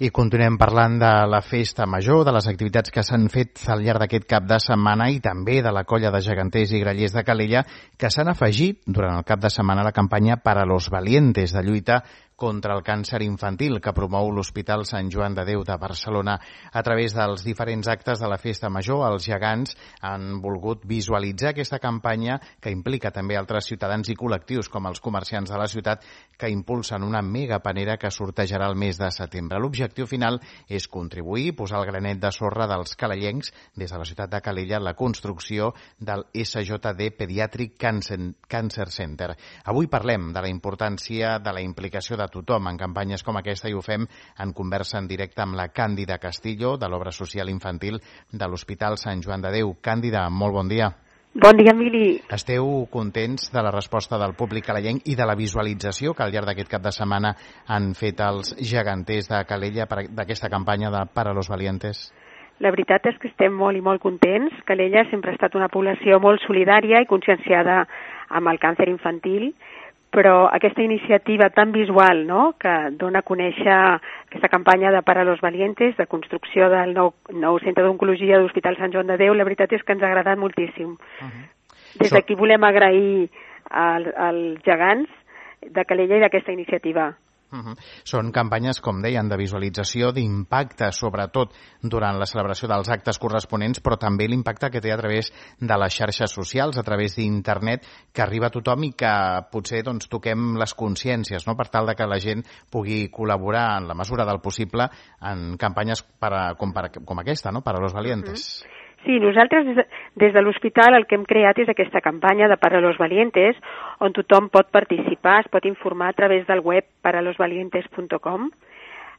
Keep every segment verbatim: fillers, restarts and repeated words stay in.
I continuem parlant de la festa major, de les activitats que s'han fet al llarg d'aquest cap de setmana i també de la colla de geganters i grallers de Calella que s'han afegit durant el cap de setmana a la campanya Para los Valientes de lluita contra el càncer infantil que promou l'Hospital Sant Joan de Déu de Barcelona. A través dels diferents actes de la festa major, els gegants han volgut visualitzar aquesta campanya que implica també altres ciutadans i col·lectius com els comerciants de la ciutat que impulsen una mega panera que sortejarà el mes de setembre. L'objectiu final és contribuir i posar el granet de sorra dels calellencs des de la ciutat de Calella en la construcció del S J D Pediatric Cancer Center. Avui parlem de la importància de la implicació de tothom en campanyes com aquesta i ho fem en conversa en directe amb la Càndida Castillo de l'Obra Social Infantil de l'Hospital Sant Joan de Déu. Càndida, molt bon dia. Bon dia, Emili. Esteu contents de la resposta del públic calellenc i de la visualització que al llarg d'aquest cap de setmana han fet els geganters de Calella d'aquesta campanya de Para los Valientes? La veritat és que estem molt i molt contents. Calella sempre ha estat una població molt solidària i conscienciada amb el càncer infantil, però aquesta iniciativa tan visual, no?, que dona a conèixer aquesta campanya de Para los Valientes, de construcció del nou, nou centre d'oncologia de l'Hospital Sant Joan de Déu, la veritat és que ens ha agradat moltíssim. Uh-huh. Des d'aquí volem agrair als, als gegants de Calella i d'aquesta iniciativa. Uh-huh. Són campanyes, com deien, de visualització, d'impacte, sobretot durant la celebració dels actes corresponents, però també l'impacte que té a través de les xarxes socials, a través d'internet, que arriba a tothom i que potser doncs, toquem les consciències, no?, per tal de que la gent pugui col·laborar en la mesura del possible en campanyes per a, com, per, com aquesta, no?, Para los Valientes. Uh-huh. Sí, nosaltres des de, des de l'hospital el que hem creat és aquesta campanya de Para los Valientes, on tothom pot participar, es pot informar a través del web para los valientes punt com.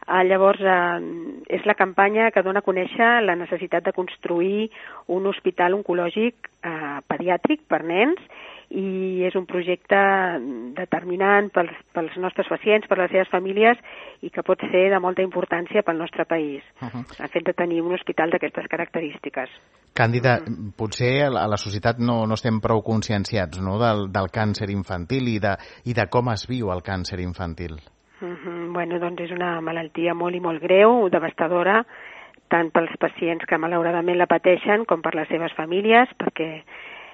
Eh, llavors, eh, és la campanya que dona a conèixer la necessitat de construir un hospital oncològic eh, pediàtric per nens, i és un projecte determinant pels, pels nostres pacients, per les seves famílies, i que pot ser de molta importància pel nostre país, uh-huh. el fet de tenir un hospital d'aquestes característiques. Càndida, uh-huh. potser a la societat no, no estem prou conscienciats, no?, del, del càncer infantil i de, i de com es viu el càncer infantil. Uh-huh. Bueno, doncs és una malaltia molt i molt greu, devastadora, tant pels pacients que malauradament la pateixen com per les seves famílies, perquè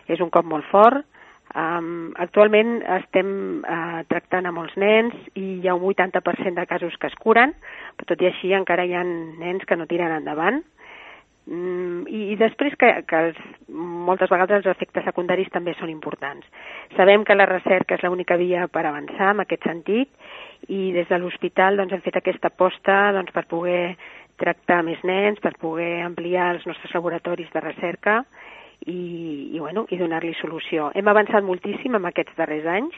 és un cop molt fort. Um, actualment estem uh, tractant a molts nens i hi ha un vuitanta per cent de casos que es curen, però tot i així encara hi ha nens que no tiren endavant. Um, i, I després que, que els, moltes vegades els efectes secundaris també són importants. Sabem que la recerca és l'única via per avançar en aquest sentit i des de l'hospital doncs, hem fet aquesta aposta doncs, per poder tractar més nens, per poder ampliar els nostres laboratoris de recerca i, i, bueno, i donar-li solució. Hem avançat moltíssim en aquests darrers anys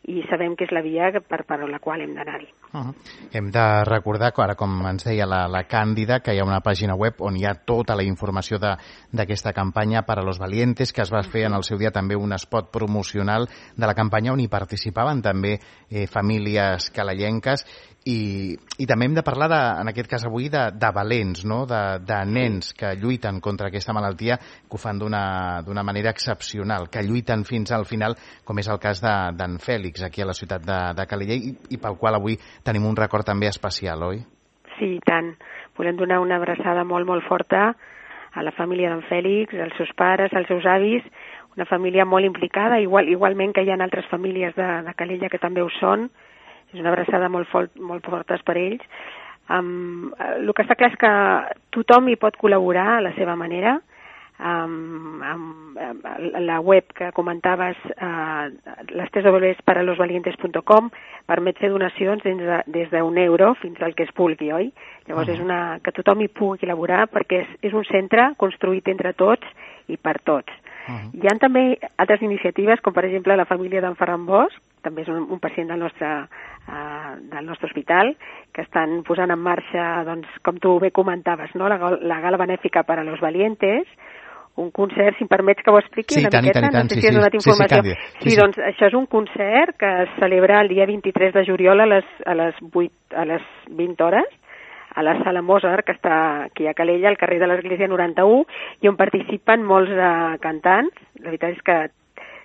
i sabem que és la via per, per la qual hem d'anar-hi. Uh-huh. Hem de recordar, ara com ens deia la, la Càndida, que hi ha una pàgina web on hi ha tota la informació d'aquesta campanya Para los Valientes, que es va fer en el seu dia també un spot promocional de la campanya on hi participaven també eh, famílies calellenques. I, i també hem de parlar, de, en aquest cas avui, de, de valents, no?, de, de nens que lluiten contra aquesta malaltia, que ho fan d'una manera excepcional, que lluiten fins al final, com és el cas d'en Fèlix, aquí a la ciutat de, de Calella, i, i pel qual avui tenim un record també especial, oi? Sí, i tant. Volem donar una abraçada molt, molt forta a la família d'en Fèlix, als seus pares, als seus avis, una família molt implicada, igual, igualment que hi ha altres famílies de, de Calella que també ho són. És una abraçada molt, fort, molt forta per ells. Um, el que està clar és que tothom hi pot col·laborar a la seva manera. Um, amb, amb la web que comentaves, uh, les tres dobles u para los valientes punt com, permet fer donacions des, de, des d'un euro fins al que es vulgui, oi? Llavors uh-huh. és una, que tothom hi pugui col·laborar perquè és, és un centre construït entre tots i per tots. Uh-huh. Hi ha també altres iniciatives, com per exemple la família d'en Ferran Bosch, també és un, un pacient del nostre, uh, del nostre hospital, que estan posant en marxa, doncs, com tu bé comentaves, no? la, la gala benèfica Para los Valientes, un concert, si em permets que ho expliqui sí, una tant, miqueta, tant, tant, no sé sí, si has donat sí, informació. Sí, sí, sí, sí, doncs això és un concert que es celebra el dia vint-i-tres de juliol a les, a les, vuit, a les vint hores, a la sala Mozart, que està aquí a Calella, al carrer de l'Església noranta-u, i on participen molts uh, cantants. La veritat és que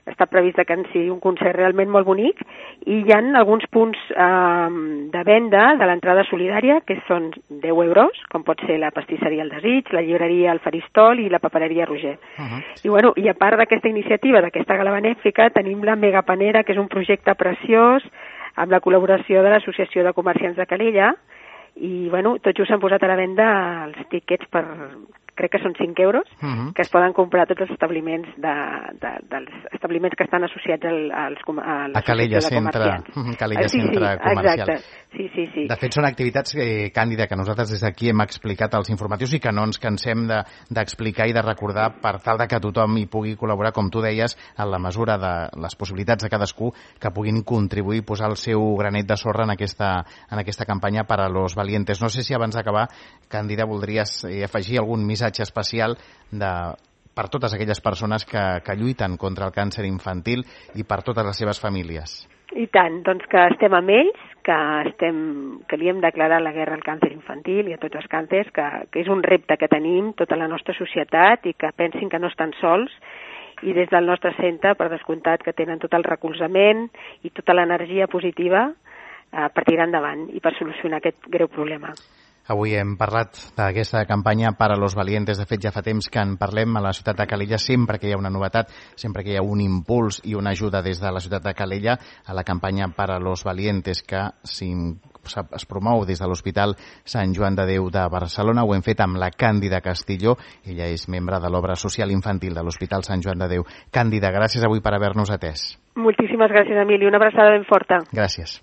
està previst que en sigui un concert realment molt bonic, i hi ha alguns punts eh, de venda de l'entrada solidària, que són deu euros, com pot ser la pastisseria El Desig, la llibreria El Faristol i la papereria Roger. Uh -huh. I, bueno, i a part d'aquesta iniciativa, d'aquesta gala benèfica, tenim la Megapanera, que és un projecte preciós, amb la col·laboració de l'Associació de Comerciants de Calella, i bueno, tot just s'han posat a la venda els tíquets per, crec que són cinc euros, uh -huh. que es poden comprar tots els establiments de, de, dels establiments que estan associats al, als, a a Calella Centre, uh, Calella sí, Centre sí, Comercial. Exacte. Sí, sí, sí. De fet, són activitats, eh, Càndida, que nosaltres des d'aquí hem explicat als informatius i que no ens cansem d'explicar de, i de recordar per tal de que tothom hi pugui col·laborar, com tu deies, en la mesura de les possibilitats de cadascú, que puguin contribuir i posar el seu granet de sorra en aquesta, en aquesta campanya per a los valientes. No sé si abans d'acabar, Càndida, voldries eh, afegir algun missatge especial de, per totes aquelles persones que, que lluiten contra el càncer infantil i per totes les seves famílies. I tant, doncs que estem amb ells, que, estem, que li hem declarat la guerra al càncer infantil i a tots els càncers, que, que és un repte que tenim tota la nostra societat i que pensin que no estan sols, i des del nostre centre, per descomptat, que tenen tot el recolzament i tota l'energia positiva eh, per tirar endavant i per solucionar aquest greu problema. Avui hem parlat d'aquesta campanya Para los Valientes. De fet, ja fa temps que en parlem a la ciutat de Calella, sempre que hi ha una novetat, sempre que hi ha un impuls i una ajuda des de la ciutat de Calella a la campanya Para los Valientes, que es promou des de l'Hospital Sant Joan de Déu de Barcelona. Ho hem fet amb la Càndida Castillo. Ella és membre de l'obra social infantil de l'Hospital Sant Joan de Déu. Càndida, gràcies avui per haver-nos atès. Moltíssimes gràcies, Emili. Una abraçada ben forta. Gràcies.